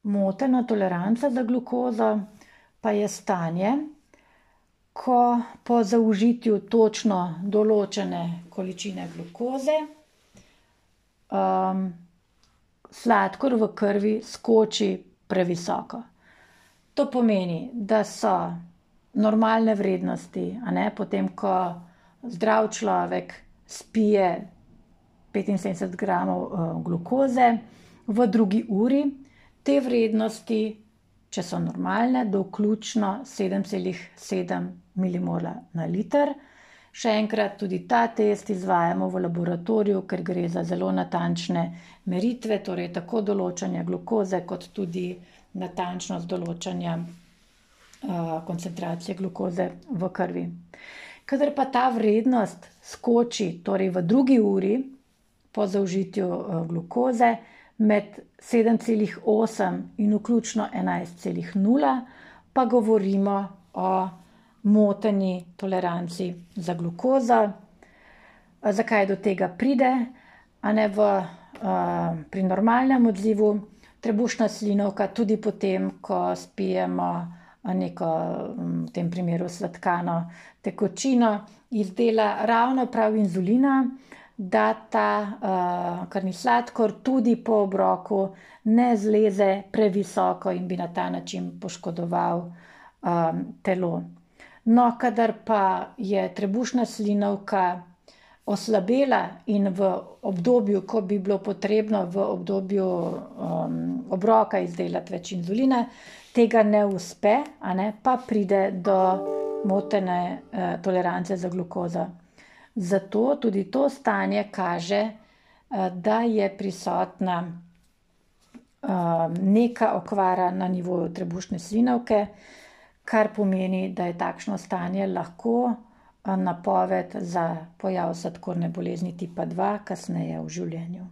Motena toleranca za glukozo pa je stanje, ko po zaužitju točno določene količine glukoze sladkor v krvi skoči previsoko. To pomeni, da so normalne vrednosti, potem ko zdrav človek spije 75 gramov glukoze v drugi uri, te vrednosti, če so normalne, do vključno 7,7 milimola na liter. Še enkrat, tudi ta test izvajamo v laboratoriju, ker gre za zelo natančne meritve, torej tako določanja glukoze kot tudi natančnost določanja koncentracije glukoze v krvi. Kadar pa ta vrednost skoči, torej v drugi uri po zaužitju glukoze, med 7,8 in vključno 11,0, pa govorimo o moteni toleranci za glukozo. Zakaj do tega pride? Pri normalnem odzivu trebušna slinavka tudi potem, ko spijemo neko, v tem primeru sladkano tekočino, izdela ravno prav inzulina, da ta krvni sladkor tudi po obroku ne zleze previsoko in bi na ta način poškodoval telo. No, kadar pa je trebušna slinavka oslabela in v obdobju, ko bi bilo potrebno v obdobju obroka izdelati več inzulina, tega ne uspe, pa pride do motene tolerance za glukozo. Zato tudi to stanje kaže, da je prisotna neka okvara na nivoju trebušne slinavke, kar pomeni, da je takšno stanje lahko napoved za pojav sladkorne bolezni tipa 2 kasneje v življenju.